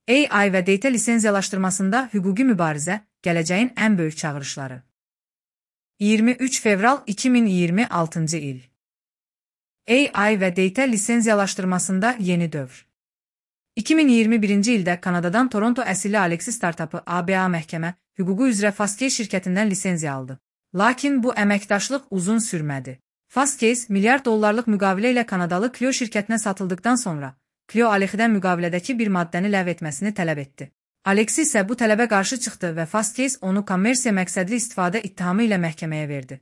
AI və data lisenziyalaşdırmasında hüquqi mübarizə gələcəyin ən böyük çağırışları. 23 fevral 2026 il. AI və data lisenziyalaşdırmasında yeni dövr. 2021-ci ildə Kanadadan Toronto əsilli Alexi startapı ABA məhkəmə hüququ üzrə Fastcase şirkətindən lisenziya aldı. Lakin bu əməkdaşlıq uzun sürmədi. Fastcase milyard dollarlıq müqavilə ilə Kanadalı Clio şirkətinə satıldıqdan sonra Clio Alexidən müqavilədəki bir maddəni ləğv etməsini tələb etdi. Alexi isə bu tələbə qarşı çıxdı və Fastcase onu kommersiya məqsədli istifadə ittihamı ilə məhkəməyə verdi.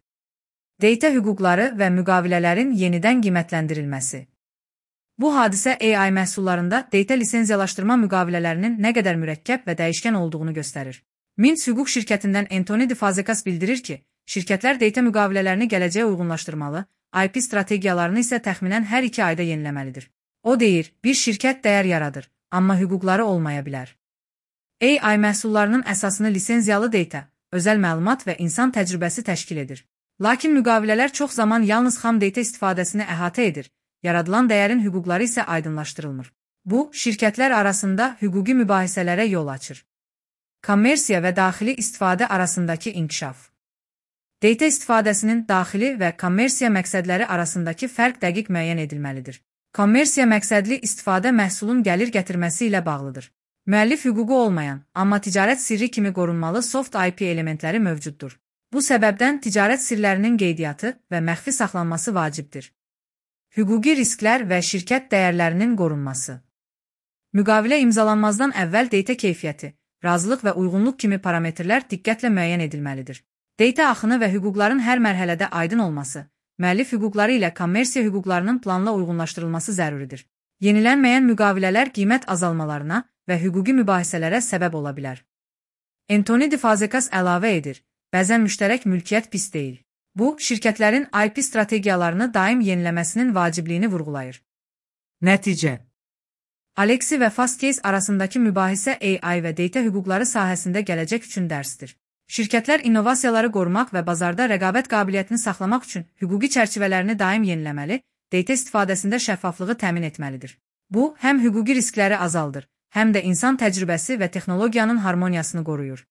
Data hüquqları və müqavilələrin yenidən qiymətləndirilməsi. Bu hadisə AI məhsullarında data lisenziyalaşdırma müqavilələrinin nə qədər mürəkkəb və dəyişkən olduğunu göstərir. Mint hüquq şirkətindən Anthony DeFazekas bildirir ki, şirkətlər data müqavilələrini gələcəyə uyğunlaşdırmalı, IP strategiyalarını isə təxminən hər 2 ayda yeniləməlidir. O deyir, bir şirkət dəyər yaradır, amma hüquqları olmaya bilər. AI məhsullarının əsasını lisenziyalı data, özəl məlumat və insan təcrübəsi təşkil edir. Lakin müqavilələr çox zaman yalnız xam data istifadəsini əhatə edir, yaradılan dəyərin hüquqları isə aydınlaşdırılmır. Bu, şirkətlər arasında hüquqi mübahisələrə yol açır. Kommersiya və daxili istifadə arasındakı inkişaf. Data istifadəsinin daxili və kommersiya məqsədləri arasındakı fərq dəqiq müəyyən edilməlidir. Kommersiya məqsədli istifadə məhsulun gəlir gətirməsi ilə bağlıdır. Müəllif hüququ olmayan, amma ticarət sirri kimi qorunmalı soft IP elementləri mövcuddur. Bu səbəbdən ticarət sirlərinin qeydiyyatı və məxfi saxlanması vacibdir. Hüquqi risklər və şirkət dəyərlərinin qorunması. Müqavilə imzalanmazdan əvvəl data keyfiyyəti, razılıq və uyğunluq kimi parametrlər diqqətlə müəyyən edilməlidir. Data axını və hüquqların hər mərhələdə aydın olması, müəllif hüquqları ilə kommersiya hüquqlarının planla uyğunlaşdırılması zəruridir. Yenilənməyən müqavilələr qiymət azalmalarına və hüquqi mübahisələrə səbəb ola bilər. Anthony DeFazekas əlavə edir, bəzən müştərək mülkiyyət pis deyil. Bu, şirkətlərin IP strategiyalarını daim yeniləməsinin vacibliyini vurğulayır. Nəticə. Alexi və Fastcase arasındakı mübahisə AI və data hüquqları sahəsində gələcək üçün dərsdir. Şirkətlər innovasiyaları qorumaq və bazarda rəqabət qabiliyyətini saxlamaq üçün hüquqi çərçivələrini daim yeniləməli, data istifadəsində şəffaflığı təmin etməlidir. Bu, həm hüquqi riskləri azaldır, həm də insan təcrübəsi və texnologiyanın harmoniyasını qoruyur.